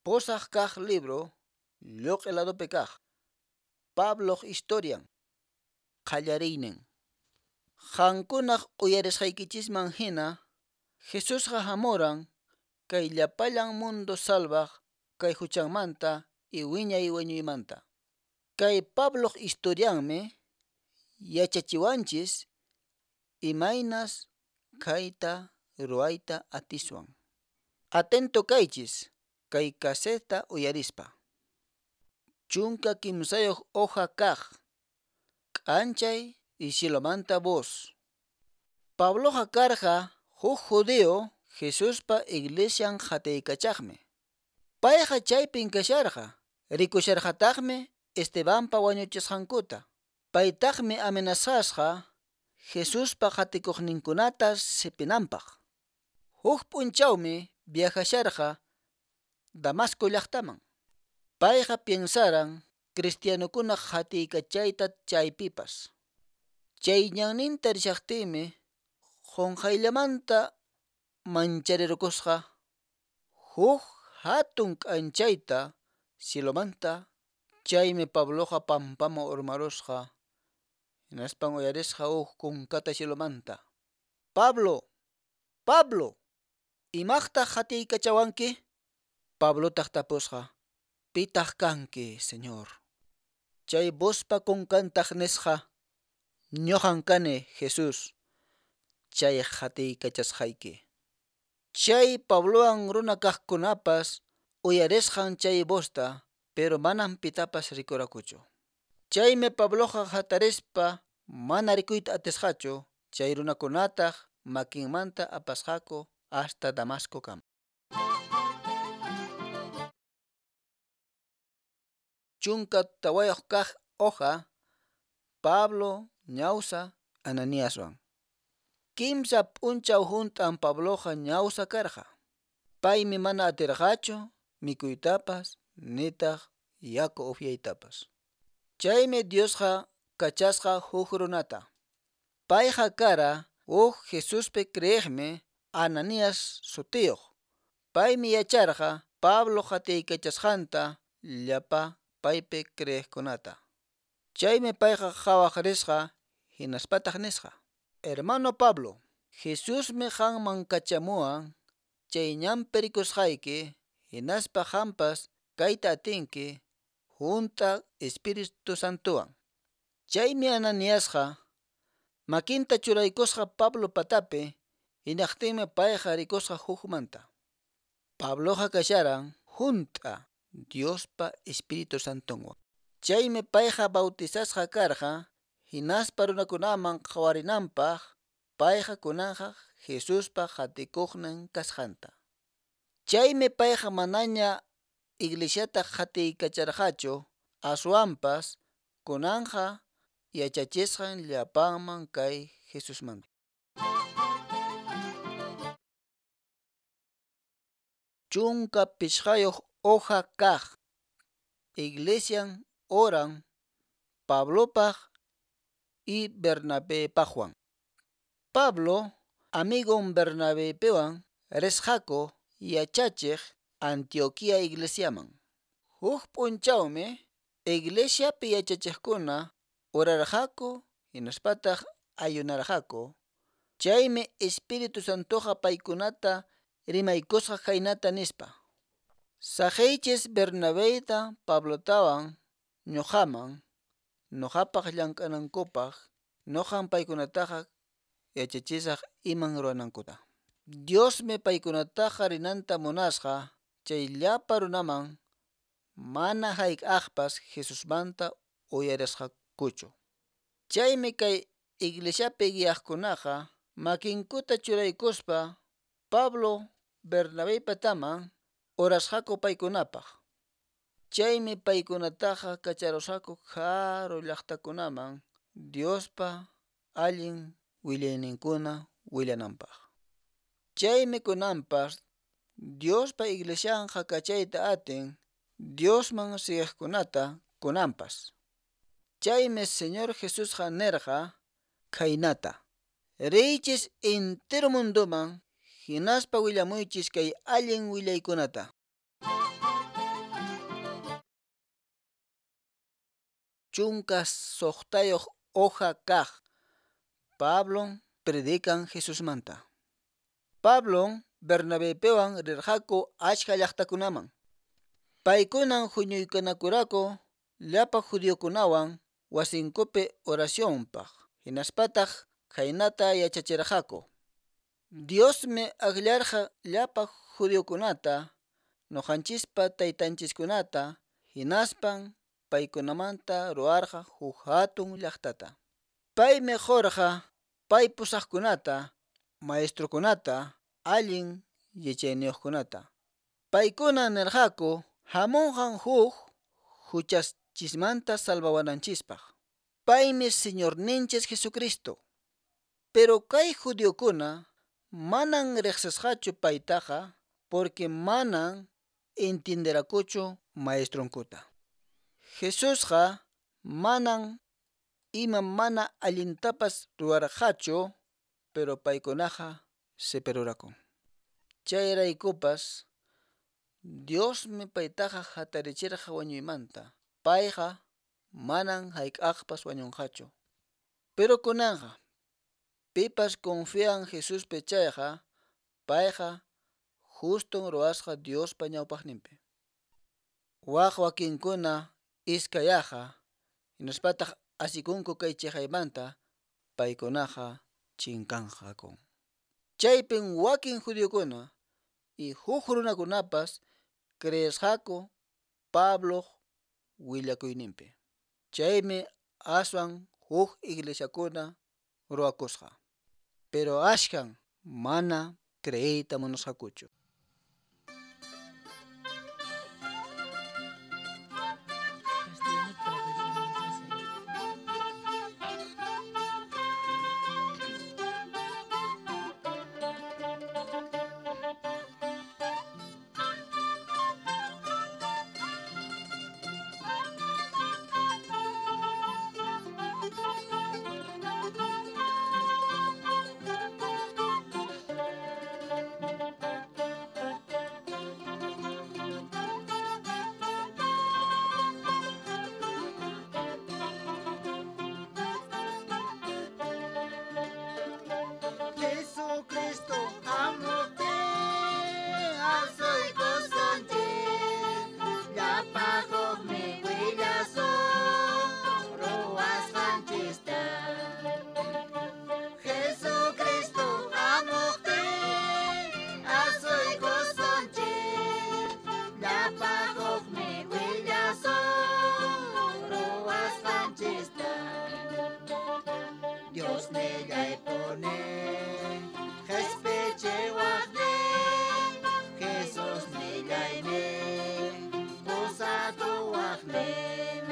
Pusaq kaq libro lluq'i ladopi kaq. Pabloq historian. Qallariynin. Qankunaq uyarisqaykichisman hina, Jesusqa hamuran kay llapallan mundo salvaq kay huchanmanta y wiñay wañuymanta. Kay Pabloq historianmi yachachiwanchis imaynas kayta ruwayta atiswan. Atento kaychis kay casetta uyarispa. 13 hoja kaq. K'anchay y cielomanta voz. Pabloqa karqa huk judío Jesuspa iglesian qatiykachaqmi. Payqa chaypin kasharqa, rikusharqataqmi Estebanpa wañuchisqankuta. Paytaqmi amenazasqa Jesuspa qatikuqninkunata sipinanpaq. Huk p'unchawmi viajasharqa Damasco llaqtaman. Payqa piensaran cristianokuna qatiykachayta chaypipas. Chay ñanninta rishaqtinmi qonqayllamanta mancharirukusqa huk hatun k'anchayta cielomanta. Chaymi Pabloqa pampaman urmarusqa, hinaspan uyarisqa huk kunkata cielomanta: Pablo, Pablo, imaqtaq qatiykachawanki? Pablotaq tapusqa: Pitaq kanki, Señor? Chay vozpa kunkantaq nisqa: Ñoqan kani Jesús, chay qatiykachasqayki. Chay Pablowan runa kaqkunapas uyarisqan chay vozta, pero manan pitapas rikurakuchu. Chaymi Pabloqa hatarispa mana rikuyta atisqachu, chay runakunataq makinmanta apasqaku hasta Damascokama. 14 kaq hoja. Pablo ñawsa Ananiaswan. Kimsa p'unchaw hunt'an Pabloqa ñawsa karqa. Paymi mana atirqachu mikuytapas nitaq yaku upyaytapas. Chaymi Diosqa kachasqa huk runata. Payqa kara huk Jesuspi creeqmi Ananías sutiyuq. Paymi yacharqa Pablo qatiykachasqanta llapa paypi creeqkunata. Chaymi payqa qhawaq risqa hinaspataq nisqa: Hermano Pablo, Jesusmi qanman kachamuwan chay ñanpi rikusqayki, hinaspa qanpas kayta atinki hunt'a Espíritu Santowan. Chaymi Ananiasqa makinta churaykusqa Pablo patapi, hinaqtinmi payqa rikusqa hukmanta. Pabloqa kasharan hunt'a Diospa Espíritu Santonwan. Chaymi payqa bautizasqa karqa, hinaspa runakunaman qhawarinanpaq payqa kunanqa Jesuspa qatikuqnin kasqanta. Chaymi payqa manaña iglesiata qatiykacharqachu, aswanpas kunanqa yachachisqan llapanman kay Jesusmanta. 15 hoja kaq. Iglesian oran Pablopaq y Bernabepaqwan. Pablo amigon Bernabepiwan risqaku yachachiq Antioquía iglesiaman. Huk p'unchawmi iglesiapi yachachiqkuna orarqaku hinaspataq ayunarqaku. Chaymi Espíritu Santoqa paykunata rimaykusqa khaynata nispa: Saqeychis Bernabeyta Pablotawan ñoqaman, noqapaq llank'anankupaq, noqan paykunataqa yachachisaq iman ruwanankuta. Diosmi paykunataqa rinanta munasqa chay llapa runaman mana hayk'aqpas Jesusmanta uyarisqakuchu. Chaymi kay iglesiapi guiaqkunaqa makinkuta churaykuspa Pablo Bernabeypataman orasqaku paykunapaq. Chaymi paykunataqa kacharusqaku karu llaqtakunaman Diospa allin willayninkuna willananpaq. Chaymi kunanpas Diospa iglesianqa kachayta atin Diosman siguiqkunata kunanpas. Chaymi Señor Jesusqa nirqa khaynata: Riychis entero mundoman hinaspa willamuychis kay allin willaykunata. 16 hoja kaq. Pablon predican Jesusmanta. Pablon Bernabepiwan rirqaku achka llaqtakunaman. Paykunan huñuykanakuraqku llapa judiokunawan wasinkupi oracionpaq, hinaspataq khaynata yachachirqaku: Diosmi akllarqa llapa judiokunata, ñoqanchispa taytanchiskunata, hinaspan paykunamanta ruwarqa huk hatun llaqtata. Paymi qorqa pay pusaqkunata, maestrokunata, allin yachayniyuqkunata. Paykunan nirqaku hamunqan huk huchanchismanta salvawananchispaq. Paymi Señorninchis Jesucristo. Pero kay judiokuna manan riqsisqachu paytaqa porque manan entienderakuchu maestronkuta. Jesusqa manan ima mana allintapas ruwarqachu, pero paykunaqa sipirurakun. Chayraykupas Diosmi paytaqa hatarichirqa wañuymanta. Payqa manan hayk'aqpas wañunqachu. Pero kunanqa pipas confian Jesuspi chayqa, payqa juston ruwasqa Diospa ñawpaqninpi. Waq wakinkuna iskayaqa, hinaspataq asikunku kay chiqaymanta, paykunaqa chinkanqaku. Chaypin wakin judiokuna y huk runakunapas creesqaku Pabloq willakuyninpi. Chaymi aswan huk iglesiakuna ruwakusqa. Pero ashkan mana creeyta munasqakuchu. Jesucristo hamuqtin asuykusunchik, llapa hukmi willasun ruwasqanchista. Jesucristo hamuqtin asuykusunchik, llapa hukmi willasun ruwasqanchista. Dios nillaypuni qhispichiwaqnin, Jesus nillaynin pusakuwaqnin.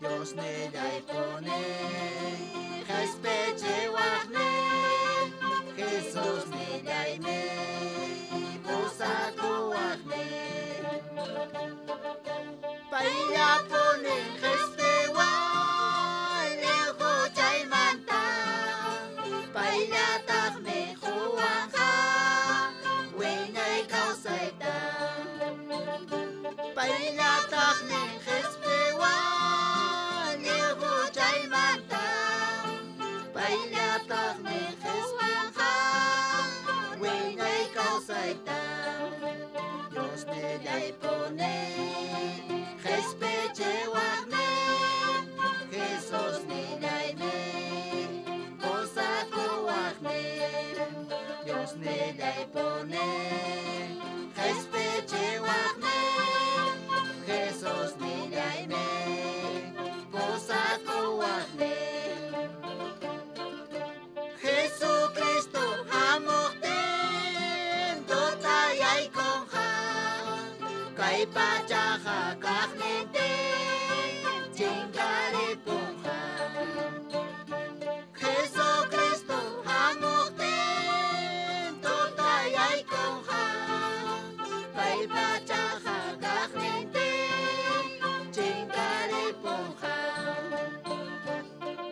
Dios nillaypuni qhispichiwaqnin, Jesus nillaynin pusakuwaqnin. Payllapunin qhispiwan lliw huchaymanta, payllataqmi quwanqa wiñay kawsayta. Payllataqmi qhispiwan lliw huchaymanta, payllataqmi qhispiwanqa wiñay kawsayta. Dios nillaypuni qhispichiwaqnin, Jesus nillaynin pusakuwaqnin. Dios nillaypuni qhispichiwaqnin, Jesus nillaynin pusakuwaqnin. Jesucristo hamuqtin tutayaykunqa, kay pachaqa kaqnintin chinkaripunqa. Jesucristo hamuqtin tutayaykunqa, kay pachaqa kaqnintin chinkaripunqa.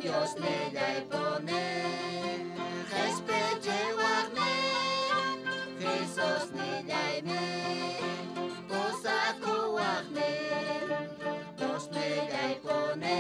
Dios nillaypuni qhispichiwaqnin, Jesus nillaynin pusakuwaqnin. Dios nillaypuni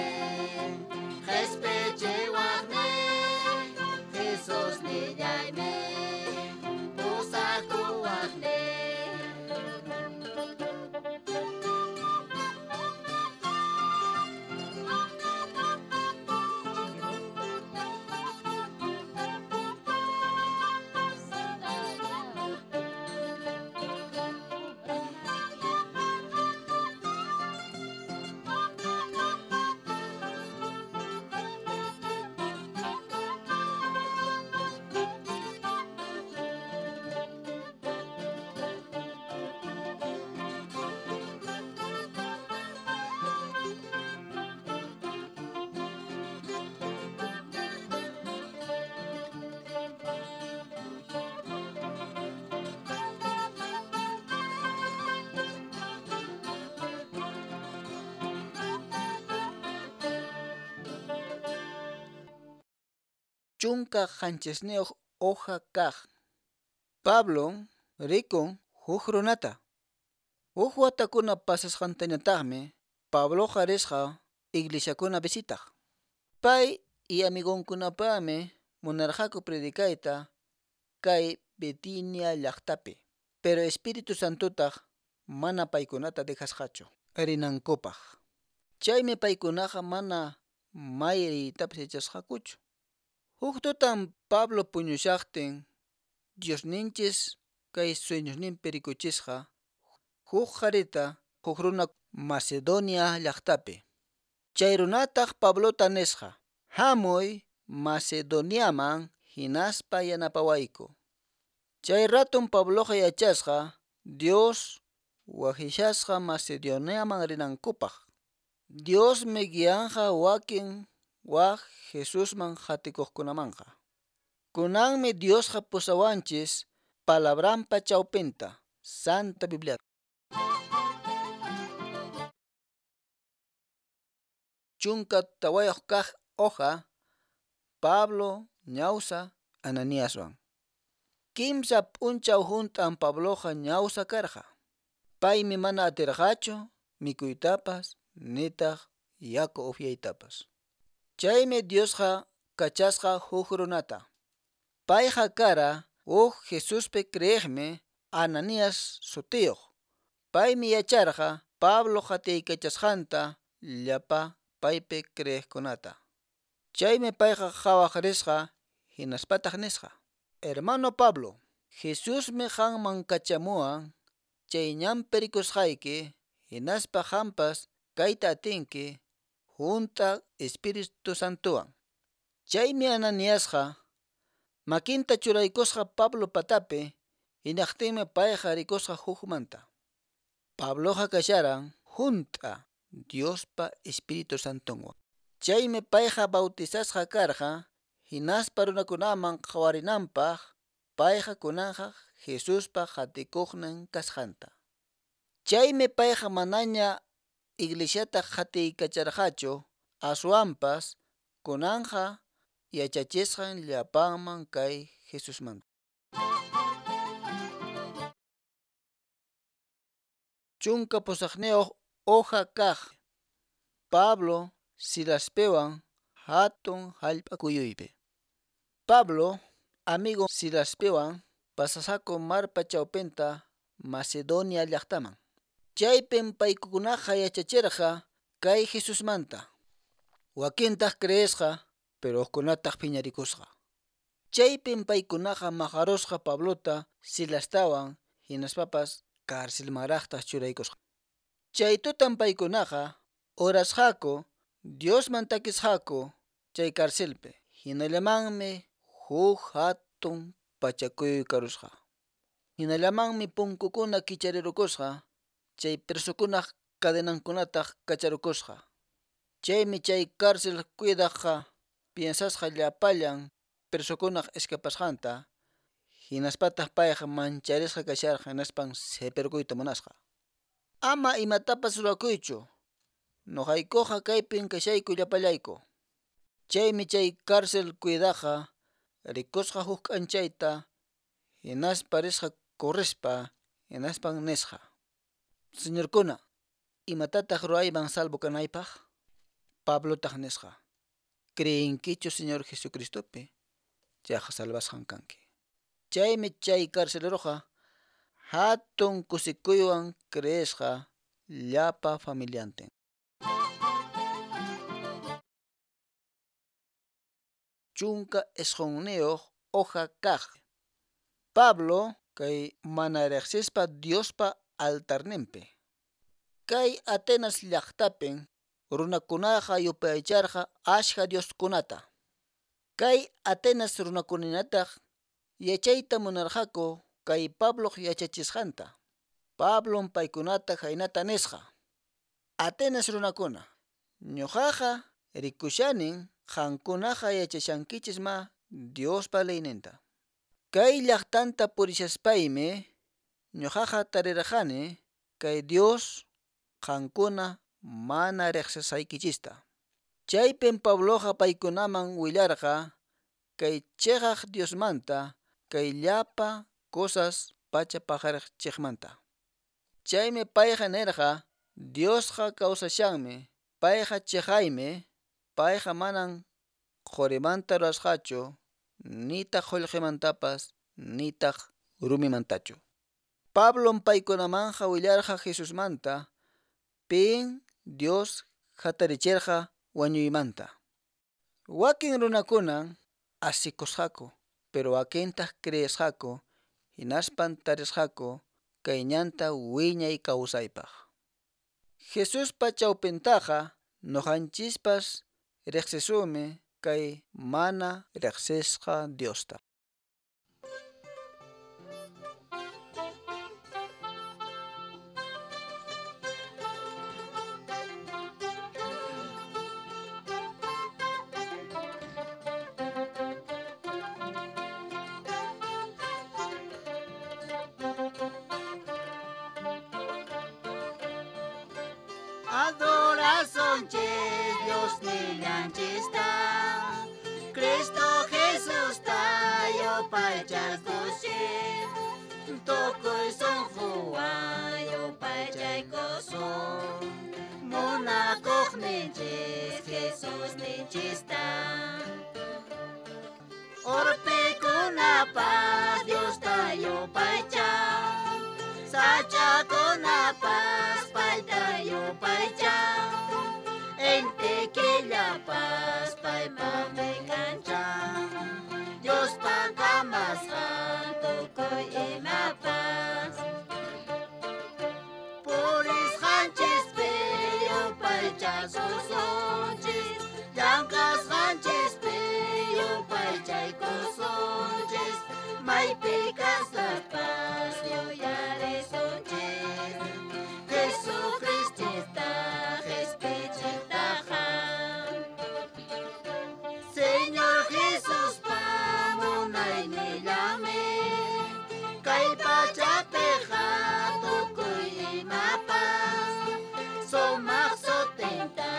17 hoja kaq. Pablon rikun huk runata. Huk watakuna pasasqantañataqmi Pabloqa risqa iglesiakuna visitaq. Pay y amigonkunapaqmi munarqaku predicayta kay Bitinia llaqtapi, pero Espíritu Santotaq mana paykunata dejasqachu rinankupaq. Chaymi paykunaqa mana may riytapas yachasqakuchu. Huk tutan Pablo puñushaqtin Diosninchis kay sueñosninpi rikuchisqa huk qharita huk runa Macedonia llaqtapi. Chay runataq Pablota nisqa: Hamuy Macedoniaman hinaspa yanapawayku. Chay raton Pabloqa yachasqa Dios waqyashasqa Macedoniaman rinankupaq. Diosmi guianqa wakin waq Jesusman qatikuqkunamanqa. Kunanmi Diosqa pusawanchis palabranpa chawpinta, Santa Biblia. 14 kaq hoja. Pablo ñawsa Ananiaswan. Kimsa p'unchaw hunt'an Pabloqa ñawsa karqa. Paymi mana atirqachu mikuytapas nitaq yaku upyaytapas. Chaymi Diosqa kachasqa huk runata. Payqa kara huk Jesuspi creeqmi Ananías sutiyuq. Paymi yacharqa Pablo qatiykachasqanta llapa paypi creeqkunata. Chaymi payqa qhawaq risqa hinaspataq nisqa: Hermano Pablo, Jesusmi qanman kachamuwan chay ñanpi rikusqayki hinaspa qampas kayta atinki hunt'a Espíritu Santowan. Chaymi Ananiasqa makinta churaykusqa Pablo patapi, hinaqtinmi payqa rikusqa hukmanta. Pabloqa kasharan hunt'a Diospa Espíritu Santonwan. Chaymi payqa bautizasqa karqa hinaspa runakunaman qhawarinanpaq payqa kunanqa Jesuspa qatikuqnin kasqanta. Chaymi payqa manaña iglesiata qatiykacharqachu, aswanpas kunanqa yachachisqan llapanman kay Jesusmanta. 18 hoja kaq. Pablo Silaspiwan hatun hallp'a kuyuypi. Pablo amigo Silaspiwan pasasqaku marpa chawpinta Macedonia llaqtaman. Chaypin paykunaqa yachachirqa kay Jesusmanta. Wakintaq creesqa, pero hukkunataq phiñarikusqa. Chaypin paykunaqa maqarusqa Pablota Silastawan hinaspapas carcelmanraqtaq churaykusqa. Chay tutan paykunaqa orasqaku, Diosman takisqaku chay carcelpi. Hinallamanmi huk hatun pachakuyuy karusqa. Hinallamanmi punkukuna kicharirukusqa, chay presokunaq cadenankunataq kacharukusqa. Chaymi chay cárcel cuidaqqa piensasqa llapallan presokunaq escapasqanta, hinaspataq payqa mancharisqa kasharqa hinaspan sipirkuyta munasqa. Ama imatapas rurakuychu, nuqaykuqa kaypin kashayku llapallayku. Chaymi chay cárcel cuidaqqa rikusqa huk k'anchayta, hinaspa risqa corrispa, hinaspan nisqa: Señorkuna, imatataq ruwayman salvo kanaypaq? Pablotaq nisqa: Creenkichu Señor Jesucristopi, chayqa salvasqan kanki. Chaymi chay carceleroqa hatun kusikuywan creesqa llapa familiantin. 19 hoja kaq. Pablo kay mana riqsispa Diospa altarninpi. Kay Atenas llaqtapin runakunaqa yupaycharqa ashka dioskunata. Kay Atenas runakunataq yachayta munarqaku kay Pabloq yachachisqanta. Pablon paykunata khaynata nisqa: Atenas runakuna, ñuqaqa rikushanin qankunaqa yachashankichis ma Diospa leyninta. Kay llaqtanta purishaspaymi ñuqaqa tarirqani kay Dios qankuna mana riqsisqaykichista. Chaypin Pabloqa paykunaman willarqa kay cheqaq Diosmanta, kay llapa cosas pacha paqariqchiqmanta. Chaymi payqa nirqa, Diosqa kawsashanmi, payqa cheqaymi, payqa manan qorimanta rurasqachu, nitaq qullqimantapas, nitaq rumimantachu. Pablom paykunamanqa willarqa Jesusmanta, pin Dios hatarichirqa wañuymanta. Wakin runakunan asikusqaku, pero wakintaq creesqaku, hinaspan tarisqaku kay ñanta wiñay kawsaypaq. Jesuspa chawpintaqa ñuqanchispas riqsisunmi kay mana riqsisqa Diosta. Adorasunchis Dios nillanchista, Cristo Jesús yupaychaskushis, tukuy sunquwan yupaychaykusun, munakuqninchis Jesús ninchista. Urpikunapas Diosta yupaychan, sachakunapas payta yupaychan, inti killapas paypaqmi kanchan, Diospa kamasqan tukuy imapas. Purisqanchispi yupaychakusunchis, llank'asqanchispi yupaychaykusunchis, maypi kaspapas yuyarisunchis, Jesucristosta qhispichiqtaqa. Señor Jesuspa munaynillanmi, kay pachapiqa tukuy imapas, sumaq sutinta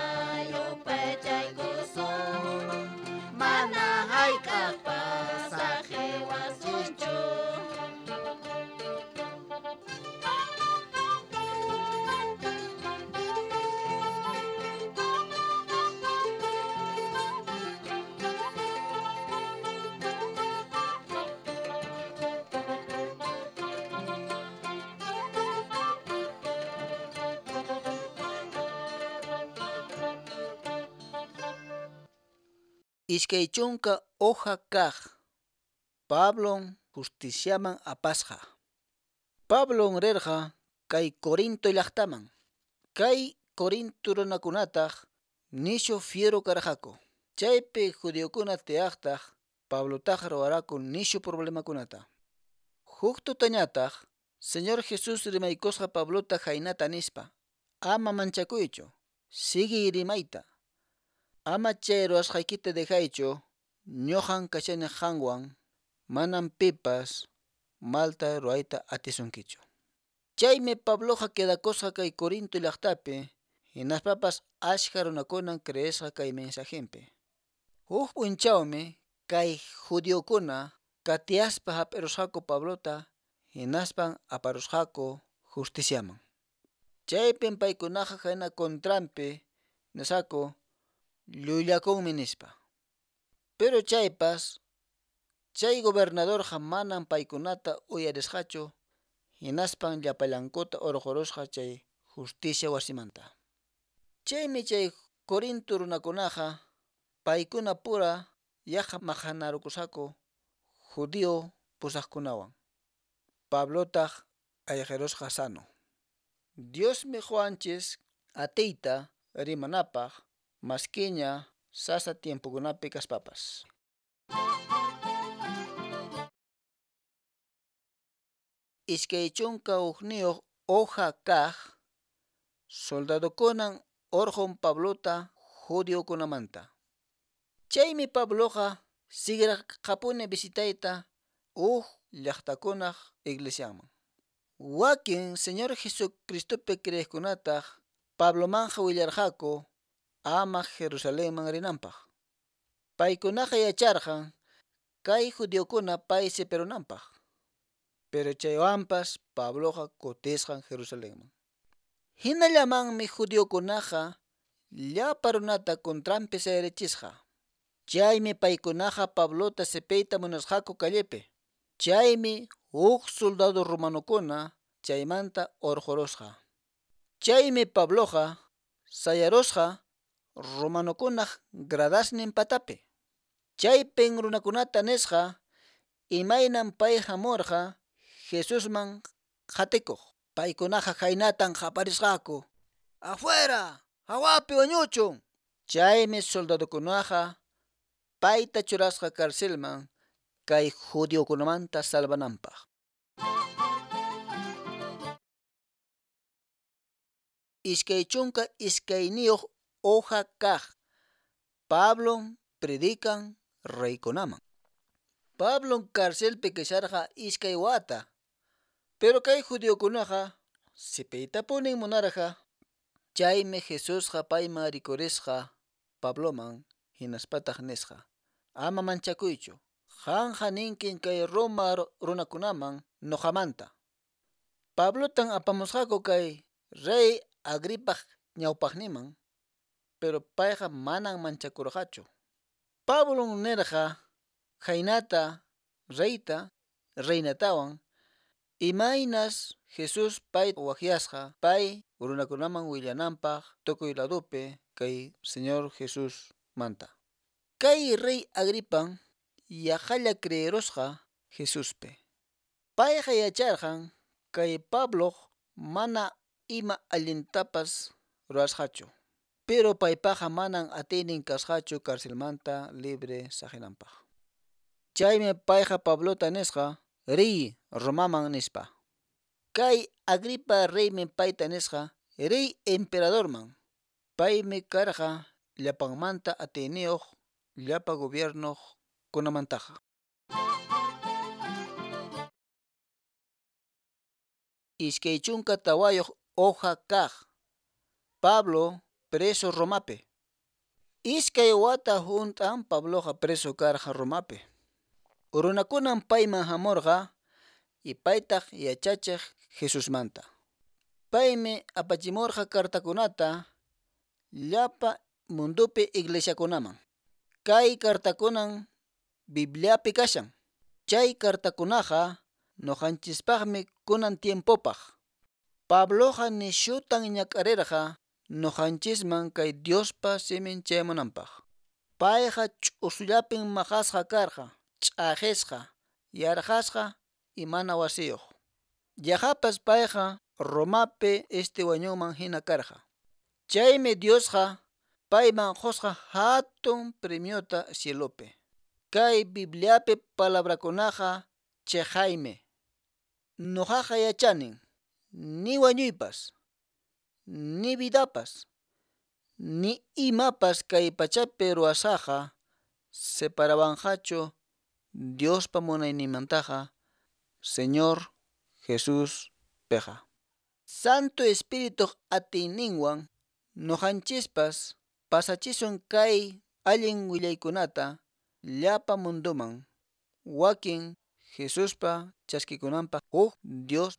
yupaychaykusun, mana hayk'aqpas saqiwasunchu. 20 hoja kaq Pablon justiciaman apasqa. Pablon rirqa kay Corinto llaqtaman. Kay Corinto runakunataq nishu fiero karqaku. Chaypi judiokuna tiyaqtaq Pablotaq ruwaraku nishu problemakunata. Huk tutañataq Señor Jesús rimaykusqa Pablota khaynata nispa: Ama manchakuychu, siguiy rimayta. Ama chay ruwasqaykita dejaychu, ñuqan kashani qanwan, manam pipas malta ruwayta atisunkichu. Chaymi Pabloqa quedakusqa kay Corinto llaqtapi, hinaspapas achka runakunan creesqa kay mensajenpi. Huk p'unchawmi kay judiokuna qatiyaspa hap'irusqaku Pablota, hinaspan aparusqaku justiciaman. Chaypin paykunaqa khayna contranpi nisqaku llullakunmi nispa. Pero chaypas chay gobernadorqa manan paykunata uyarisqachu, hinaspan llapallankuta urqurusqa chay justicia wasimanta. Chaymi chay Corinto runakunaqa paykuna pura yaqa maqanarukusqaku judío pusaqkunawan. Pablotaq ayqirusqa sano. Diosmi quwanchis atiyta rimanapaq maskiña sasa tiempokunapi kaspapas. 21 hoja kaq soldadokunan urqun Pablota judiokunamanta. Chaymi Pabloqa siguirqapuni visitayta huk llaqtakunaq iglesianman. Wakin Señor Jesucristopi creeqkunataq Pablomanja willarqaku ama Jerusalenman rinanpaq. Paykunaqa yacharqan Kay judiokuna pay sipirunanpaq. Pero chaywanpas Pabloqa kutisqan Jerusalenman. Hinallamanmi judiokunaqa llapa runata contranpi sayarichisqa. Chaymi paykunaqa Pablota sipiyta munasqaku callepi. Chaymi huk soldado romanokuna chaymanta urqurusqa. Chaymi Pabloqa sayarusqa romanokunaq gradasnin patapi. Chaypin runakunata nisqa imaynan pay hamurqa Jesusman qatikuq. Paykunaqa khaynatan qaparisqaku: "¡Afuera! ¡Hawapi wañuchun!" Chaymi soldadokunaqa payta churasqa carcelman kay judiokunamanta salvananpaq. 22 hoja kaq. Pablo predican reykunaman. Pablo carcelpi kasharqa iskay wata. Pero kay judiokunaqa sipiytapunin munarqa. Chaymi Jesusqa payman rikurisqa Pabloman hinaspataq nisqa: "Ama manchakuychu, qanqa ninkin kay Roma runakunaman nuqamanta." Pablotan apamusqaku kay rey Agripaq ñawpaqninman, pero payqa manan manchakurqachu. Pablon nirqa khaynata reyta reinatawan imaynas Jesús pay waqyasqa pay runakunaman willananpaq tukuy ladupi kay Señor Jesús manta. Kay rey Agripan yaqalla creerusqa Jesuspi. Payqa yacharqan kay Pabloq mana ima allintapas ruwasqachu. Pero paypaqa manan atiynin kasqachu carcelmanta libre saqinanpaq. Chaymi payqa Pablota nisqa: "Riy Romaman" nispa. Kay Agripa reymi payta nisqa: "Riy emperadorman." Paymi karqa llapanmanta atiyniyuq llapa gobierno kunamantaqa. 24 hoja kaq. Pablo preso Romapi. Iskay wata hunt'an Pabloqa preso karqa Romapi. Runakunan payman hamurqa y paytaq yachachiq Jesusmanta. Paymi apachimurqa cartakunata llapa mundupi iglesiakunaman. Kay cartakunan Bibliapi kashan. Chay cartakunaqa nuqanchispaqmi kunan tiempopaq. Pabloqa nishutan ñak'arirqa nuqanchisman kay Diospa simin chayamunanpaq. Payqa ch'usullapin maqasqa karqa, ch'aqisqa, yarqasqa y mana wasiyuq. Yaqapas payqa Romapi wañunman hina karqa. Chaymi Diosqa payman qusqa hatun premiota cielopi. Kay Bibliapi palabrakunaqa chiqaymi. Nuqaqa yachanin ni wañuypas, ni vidapas, ni imapas kay pachapi ruwasqaqa separawanqachu Diospa munayninmantaqa Señor Jesús piqa. Santo Espirituq atiyninwan nuqanchispas pasachisun kay allin willaykunata llapa munduman wakin Jesuspa chaskikunanpaq huk Dios.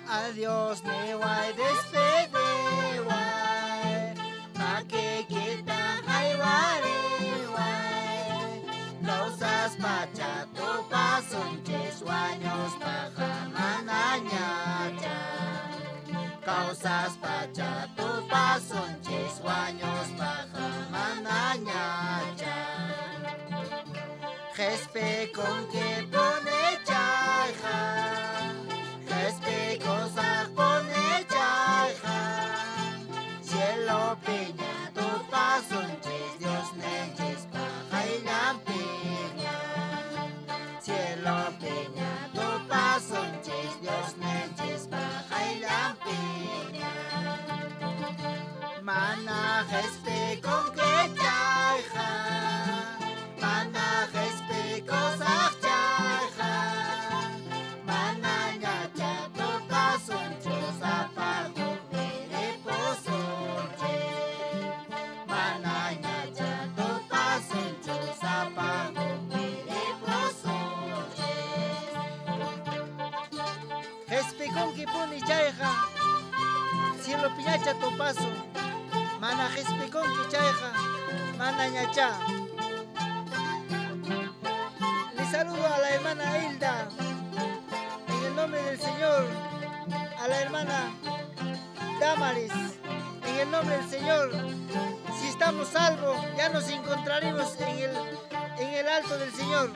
Adiós, neway, despedeway, makikita haywariway, causas pacha tupasunchis waños pajamananyacha, causas pacha tupasunchis waños pajamananyacha, Jespe con que pone chayja. Cielo piña, tu pasunchis Dios. qhispikunki chayqa, mana qhispikusaq chayqa, manañacha tupasunchu, sapa hukmi ripusunchis, manañacha tupasunchu, sapa hukmi ripusunchis. Qhispikunkipuni chayqa, cielopiñacha tupasun. Mana qhispikunki chayqa, manañacha. Le saludo a la hermana Hilda, en el nombre del Señor, a la hermana Damaris, en el nombre del Señor. Si estamos salvos, ya nos encontraremos en el alto del Señor.